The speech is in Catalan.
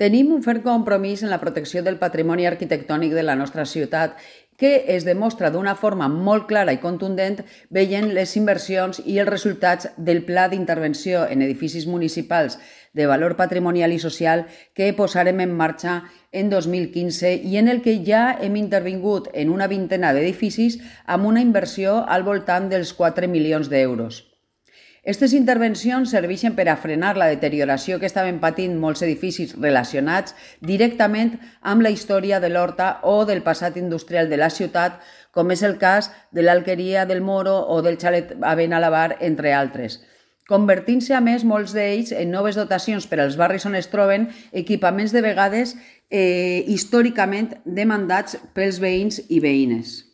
Tenim un ferm compromís en la protecció del patrimoni arquitectònic de la nostra ciutat, que es demostra d'una forma molt clara i contundent veient les inversions i els resultats del Pla d'Intervenció en Edificis Municipals de Valor Patrimonial i Social que posarem en marxa en 2015 i en el que ja hem intervingut en una vintena d'edificis amb una inversió al voltant dels 4 milions d'euros. Aquestes intervencions serveixen per a frenar la deterioració que estaven patint molts edificis relacionats directament amb la història de l'Horta o del passat industrial de la ciutat, com és el cas de l'Alqueria del Moro o del Xalet a Benalabar, entre altres, convertint-se a més molts d'ells en noves dotacions per als barris on es troben equipaments de vegades històricament demandats pels veïns i veïnes.